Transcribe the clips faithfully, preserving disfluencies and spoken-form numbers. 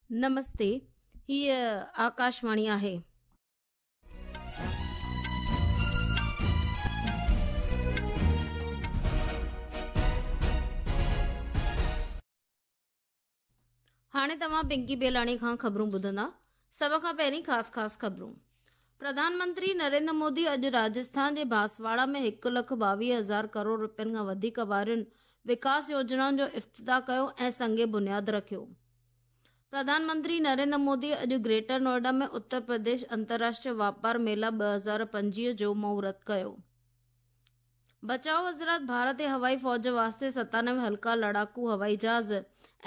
नमस्ते, हीअ आकाशवाणी आहे। हाणे तव्हां पिंकी बेलाणी खां ख़बरूं ॿुधंदा। सभ खां पहिरीं ख़ासि ख़ासि ख़बरूं। प्रधानमंत्री नरेंद्र मोदी अॼु राजस्थान जे बांसवाड़ा में हिकु लख ॿावीह हज़ार करोड़ रुपयनि खां वधीक वारियुनि विकास योजनाउनि जो इफ्तिताह कयो ऐं संग बुनियाद रखियो। प्रधानमंत्री नरेंद्र मोदी अॼु ग्रेटर नोएडा में उत्तर प्रदेश अंतर्राष्ट्रीय वापार मेला ॿ हज़ार पंजवीह जो मुहूर्त कयो। बचाव वज़ारत भारत हवाई फ़ौज वास्ते सतानवे हल्का लड़ाकू हवाई जहाज़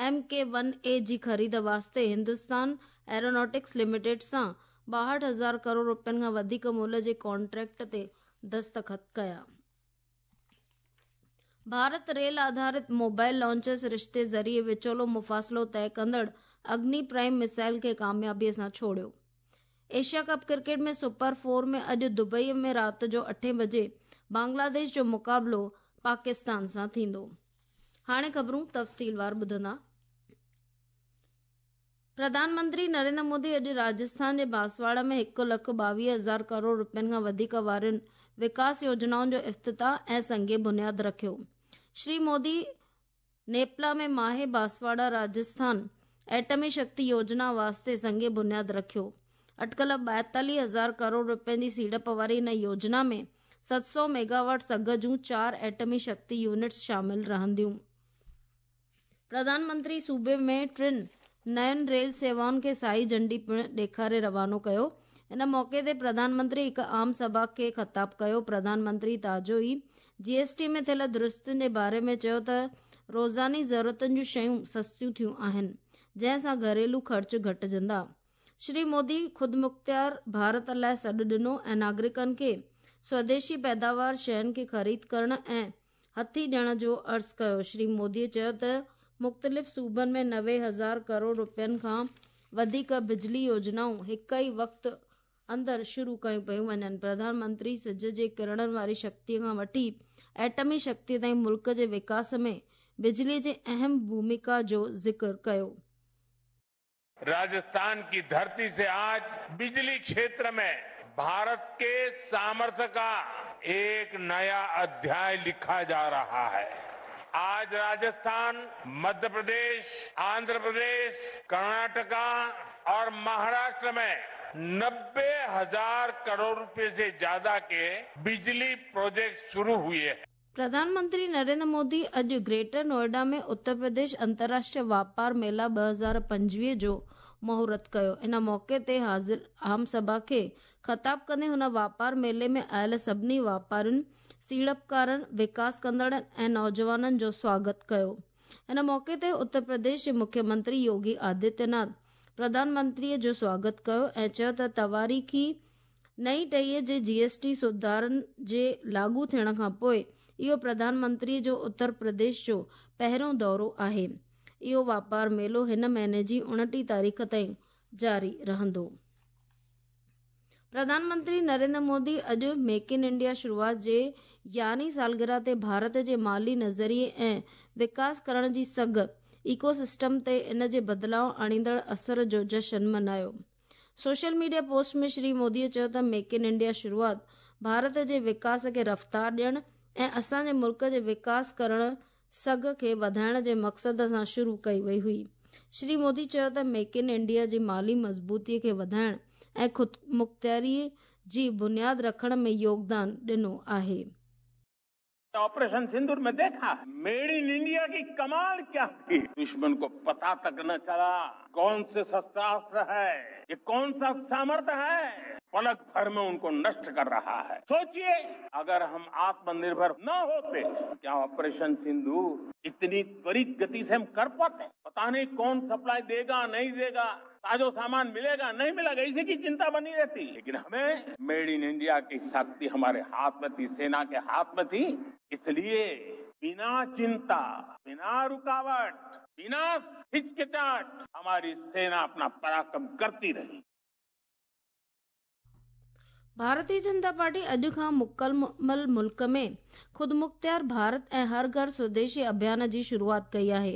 एम के वन ए जी ख़रीद वास्ते हिंदुस्तान एरोनॉटिक्स लिमिटेड सां ॿाहठि हज़ार करोड़ रुपयनि खां वधीक मुल्ह जे कॉन्ट्रैक्ट ते दस्तख़त कया। भारत रेल आधारित मोबाइल लॉन्चर सरिश्ते ज़रिए विचोलो मुफ़ासिलो तय कंदड़ अग्नि प्राइम मिसाइल खे कामयाबीअ सां छोड़ियो। Asia cup cricket में सुपर फोर में अॼु दुबई में राति जो अठे बजे बांग्लादेश जो मुक़ाबिलो पाकिस्तान सां थींदो। हाणे ख़बरूं तफ़सीलवार ॿुधंदा। प्रधानमंत्री नरेंद्र मोदी अॼु राजस्थान जे बांसवाड़ा में हिकु लख ॿावीह हज़ार करोड़ रुपयनि खां वधीक वारियुनि विकास योजनाउनि जो इफ्तिताह ऐं संग बुनियाद रखियो। श्री मोदी नेपला में माहे बांसवाड़ा राजस्थान एटमी शक्ति योजना वास्ते संग बुनियाद रखियो। अटकल ॿाएतालीह हज़ार करोड़ रुपयनि जी सीड़प वारी हिन योजना में सत सौ मेगावाट सघ जूं चारि एटमी शक्ति यूनिट्स शामिल रहंदियूं। प्रधानमंत्री सूबे में टिनि नयुनि रेल सेवाउनि खे साई झंडी पिणु ॾेखारे रवानो कयो। इन मौक़े ते प्रधानमंत्री हिकु आम सभा खे ख़िताब कयो। प्रधानमंत्री ताज़ो ई जीएसटी में थियल दुरुस्तियुनि जे बारे में चयो त रोज़ानी ज़रूरतुनि जूं शयूं सस्तियूं थियूं आहिनि, जंहिं सां घरेलू ख़र्च घटिजंदा। श्री मोदी ख़ुदमुख़्तियार भारत लाइ सॾु ॾिनो ऐं नागरिकनि खे स्वदेशी पैदावार शयुनि खे ख़रीद करण ऐं हथी ॾियण जो अर्ज़ु कयो। श्री मोदीअ चयो त मुख़्तलिफ़ सूबनि में नवे हज़ार करोड़ रुपयनि खां वधीक बिजली योजनाऊं हिकु ई वक़्त अंदरि शुरू कयूं पयूं वञनि। प्रधानमंत्री सिज जे किरणनि वारी शक्तीअ खां वठी एटमी शक्ति ताईं मुल्क जे विकास में बिजली जे अहम भूमिका जो ज़िक्र कयो। राजस्थान की धरती से आज बिजली क्षेत्र में भारत के सामर्थ्य का एक नया अध्याय लिखा जा रहा है। आज राजस्थान, मध्य प्रदेश, आंध्र प्रदेश, कर्नाटका और महाराष्ट्र में नब्बे हजार करोड़ रुपए से ज्यादा के बिजली प्रोजेक्ट शुरू हुए हैं। प्रधानमंत्री नरेंद्र मोदी अॼु ग्रेटर नोएडा में उत्तर प्रदेश अंतर्राष्ट्रीय वापार मेला ॿ हज़ार पंजवीह जो मुहूर्त कयो। इन मौक़े ते हाज़िर आम सभा खे ख़िताब कंदे हुन वापार मेले में आयल सभिनी वापारियुनि, सीड़पकारनि, विकास कंदड़नि ऐं नौजवाननि जो स्वागत कयो। इन मौक़े ते उत्तर प्रदेश जे मुख्यमंत्री योगी आदित्यनाथ प्रधानमंत्रीअ जो स्वागत कयो ऐं चयो त तवारीख़ी नई टहीअ जे जीएसटी सुधारनि जे लागू थियण खां पोइ इहो प्रधानमंत्रीअ जो उत्तर प्रदेश जो पहिरियों दौरो आहे। इहो वापार मेलो हिन महीने जी उणिटीह तारीख़ ताईं जारी रहंदो। प्रधानमंत्री नरेंद्र मोदी अॼु मेक इन इंडिया शुरूआत जे यारहीं सालगिरह ते भारत जे माली नज़रिए ऐं विकास करण जी सघ इकोसिस्टम ते इन जे बदिलाव आणींदड़ असर जो जशन मनायो। सोशल मीडिया पोस्ट में श्री मोदीअ चयो त मेक इन इंडिया शुरूआत भारत जे विकास खे रफ़्तार ॾियण ऐं असांजे मुल्क जे विकास करण सघ खे वधाइण जे मक़सद सां शुरू कई वई हुई। श्री मोदी चयो त मेक इन इंडिया जी माली मज़बूतीअ खे वधाइण ऐं ख़ुदमुख़्तियारी जी बुनियाद रखण में योगदान ॾिनो आहे। ऑपरेशन सिंदूर में देखा मेड इन इंडिया की कमाल क्या थी। दुश्मन को पता तक न चला कौन से शस्त्रास्त्र है, ये कौन सा सामर्थ्य है, पलक भर में उनको नष्ट कर रहा है। सोचिए अगर हम आत्मनिर्भर न होते क्या ऑपरेशन सिंदूर इतनी त्वरित गति से हम कर पाते? पता नहीं कौन सप्लाई देगा नहीं देगा, ताजो सामान मिलेगा नहीं मिलेगा, इसी की चिंता बनी रहती। लेकिन हमें मेड इन इंडिया की शक्ति हमारे हाथ में थी, सेना के हाथ में थी, इसलिए बिना चिंता, बिना रुकावट, बिना हिचकिचाहट हमारी सेना अपना पराक्रम करती रही। ڀارتيه جنتا پارٽي اڄ खां मुकमल मुल्क में ख़ुदमुख़्तियार भारत ऐं हर घर स्वदेशी अभियान जी शुरूआत कई आहे।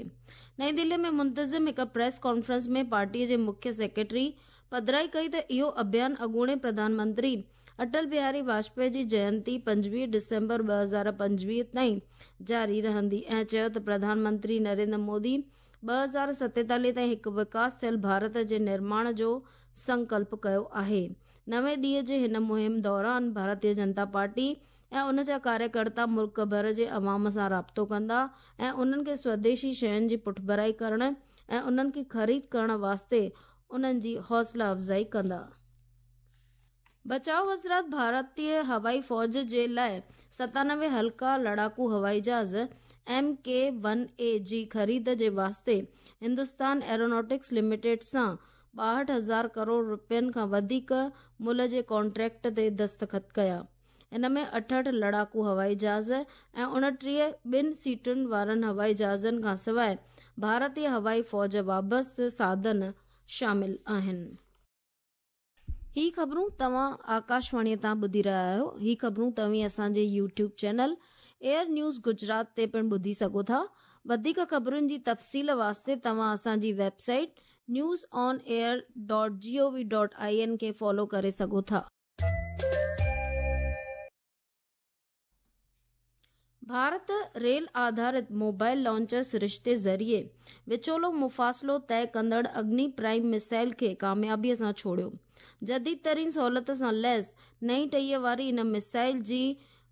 नई दिल्ली में मुंतज़िम हिकु प्रेस कॉन्फ्रेंस में पार्टीअ जे मुख्य सेक्रेटरी पधराई कई त इहो अभियान अॻूणे प्रधानमंत्री अटल बिहारी वाजपेयी जी जयंती पंजवीह डिसेंबर ॿ हज़ार पंजवीह ताईं जारी रहंदी ऐं चयो त प्रधानमंत्री नरेंद्र मोदी ॿ हज़ार सतेतालीह ताईं हिकु विकास थियल भारत जे निर्माण जो संकल्प कयो आहे। नवे ॾींहं जे हिन मुहिम दौरान भारतीय जनता पार्टी ऐं उन जा कार्यकर्ता मुल्क भर जे अवाम सां राब्तो कंदा ऐं उन्हनि खे स्वदेशी शयुनि जी पुठभराई करण ऐं उन्हनि खे ख़रीद करण वास्ते उन्हनि जी हौसला अफ़ज़ाई कंदा। बचाव वज़ारत भारतीय हवाई फ़ौज जे लाइ सतानवे हल्का लड़ाकू हवाई जहाज़ एम के वन ए जी ख़रीद जे वास्ते हिंदुस्तान एरोनॉटिक्स लिमिटेड सां ॿाहठि हज़ार करोड़ रुपयनि खां वधीक मुल्ह जे कॉन्ट्रैक्ट ते दस्तख़त कया। इन में अठहठि लड़ाकू हवाई जहाज़ ऐं उणिटीह ॿिनि सीटुनि वारनि हवाई जहाज़नि खां सवाइ भारतीय हवाई फ़ौज वाबस्ते साधन शामिल आहिनि। ही ख़बरूं तव्हां आकाशवाणीअ तां ॿुधी रहिया आहियो। ही ख़बरूं तव्हीं असांजे YouTube channel air news Gujarat ते पिणु ॿुधी सघो था। वधीक ख़बरुनि जी तफ़सील वास्ते तव्हां असांजी website news on air dot G O V dot I N खे फॉलो करे सघो था। भारत रेल आधारित मोबाइल लॉन्चर सरिश्ते ज़रिए विचोलो मुफ़ासिलो तय कंदड़ अग्नि प्राइम मिसाइल खे कामयाबीअ सां छोड़ियो। जदीद तरीन सहूलियत सां लैस नई टीह वारी इन मिसाइल जी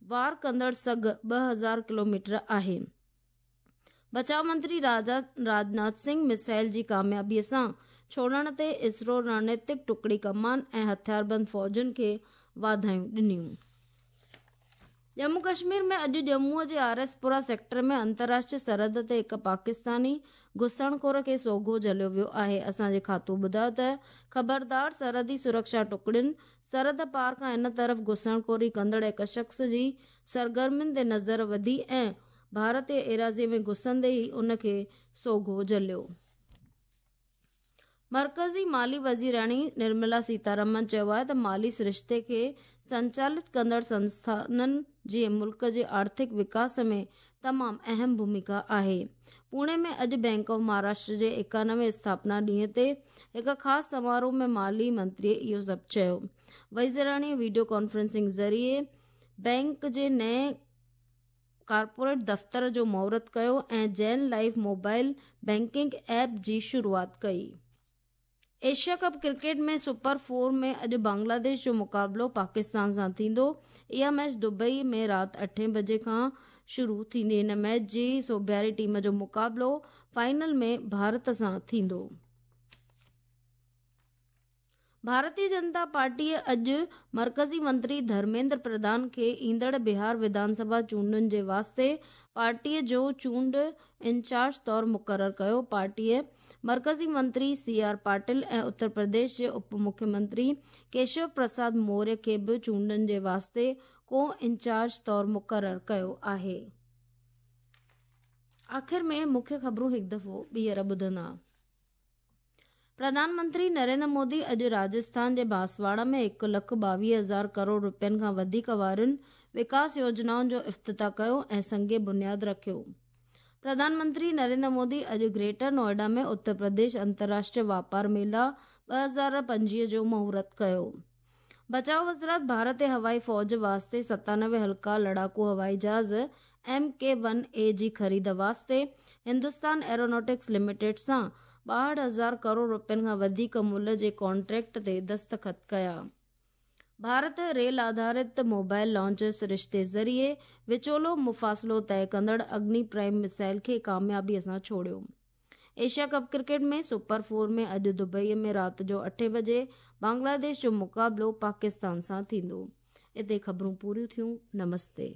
वार कंदड़ सघ ॿ हज़ार किलोमीटर आहे। बचाव मंत्री राजा राजनाथ सिंह मिसाइल जी कामयाबीअ सां छोड़ण ते इसरो रणनीतिक टुकड़ी कमान ऐं हथियारबंद फ़ौजुनि खे वाधायूं ॾिनियूं। जम्मू कश्मीर में अॼु जम्मूअ जे आर एस पुरा सेक्टर में अंतर्राष्ट्रीय सरहद ते हिकु पाकिस्तानी घुसणखोर खे सोघो झलियो वियो आहे। असांजे खातो ॿुधायो त ख़बरदार सरहदी सुरक्षा टुकड़ियुनि सरहद पार खां हिन तरफ़ घुसणखोरी कंदड़ हिकु शख़्स जी सरगर्मियुनि ते नज़र विधी ऐं भारतीय एराज़ीअ में घुसंदे ई उनखे सोघो झलियो। मर्कज़ी माली वज़ीराणी निर्मला सीतारमन चयो आहे त माली सरिश्ते खे संचालित कंदड़ संस्थाननि जी मुल्क जे आर्थिक विकास में तमामु अहम भूमिका आहे। पुणे में अॼु बैंक ऑफ महाराष्ट्र जे एकानवे स्थापना ॾींहं ते हिकु ख़ासि समारोह में माली मंत्रीअ इहो सभु चयो। वज़ीराणीअ वीडियो कॉन्फ्रेंसिंग ज़रिए बैंक जे नए कॉर्पोरेट दफ़्तर जो मुहूर्त कयो ऐं Jain life mobile banking app जी शुरूआत कई। एशिया कप क्रिकेट में सुपर फोर में अॼु बांग्लादेश जो मुक़ाबिलो पाकिस्तान सां थींदो। इहा मैच दुबई में राति अठे बजे खां शुरू थींदी। हिन मैच जी सोबियारी टीम जो मुक़ाबिलो फाइनल में भारत सां थींदो। भारतीय जनता पार्टीअ अॼु मर्कज़ी मंत्री धर्मेंद्र प्रधान खे ईंदड़ बिहार विधानसभा चूंडुनि जे वास्ते पार्टीअ जो चूंड इंचार्ज तौरु मुक़ररु कयो। पार्टीअ मर्कज़ी मंत्री सी आर पाटिल ऐं उत्तर प्रदेश जे उप मुख्यमंत्री केशव प्रसाद मौर्य खे बि चूंडुनि जे वास्ते को इंचार्ज तौरु मुक़ररु कयो आहे। आख़िर में मुख्य ख़बरूं हिकु दफ़ो ॿीहर ॿुधंदा। प्रधानमंत्री नरेंद्र मोदी अॼु राजस्थान जे बांसवाड़ा में हिकु लख ॿावीह हज़ार करोड़ रुपयनि खां वधीक वारियुनि विकास योजनाउनि जो इफ़्तिताह कयो ऐं संग बुनियाद रखियो। प्रधानमंत्री नरेंद्र मोदी अॼु ग्रेटर नोएडा में उत्तर प्रदेश अंतर्राष्ट्रीय वापार मेला ॿ हज़ार पंजवीह जो मुहूर्त कयो। बचाव वज़ारत भारतीय हवाई फ़ौज वास्ते सतानवे हल्का लड़ाकू हवाई जहाज़ एम के वन ए जी ख़रीद वास्ते हिंदुस्तान एरोनॉटिक्स लिमिटेड सां ॿाहठि हज़ार करोड़ रुपयनि खां वधीक मुल्ह जे कॉन्ट्रैक्ट ते दस्तख़त कया। भारत रेल आधारित मोबाइल लॉन्च सरिश्ते ज़रिए विचोलो मुफ़ासिलो तय कंदड़ अग्नि प्राइम मिसाइल खे कामयाबीअ सां छोड़ियो। एशिया कप क्रिकेट में सुपर फोर में अॼु दुबई में राति जो अठे बजे बांग्लादेश जो मुक़ाबिलो पाकिस्तान सां थींदो। हिते ख़बरूं पूरियूं थियूं। नमस्ते।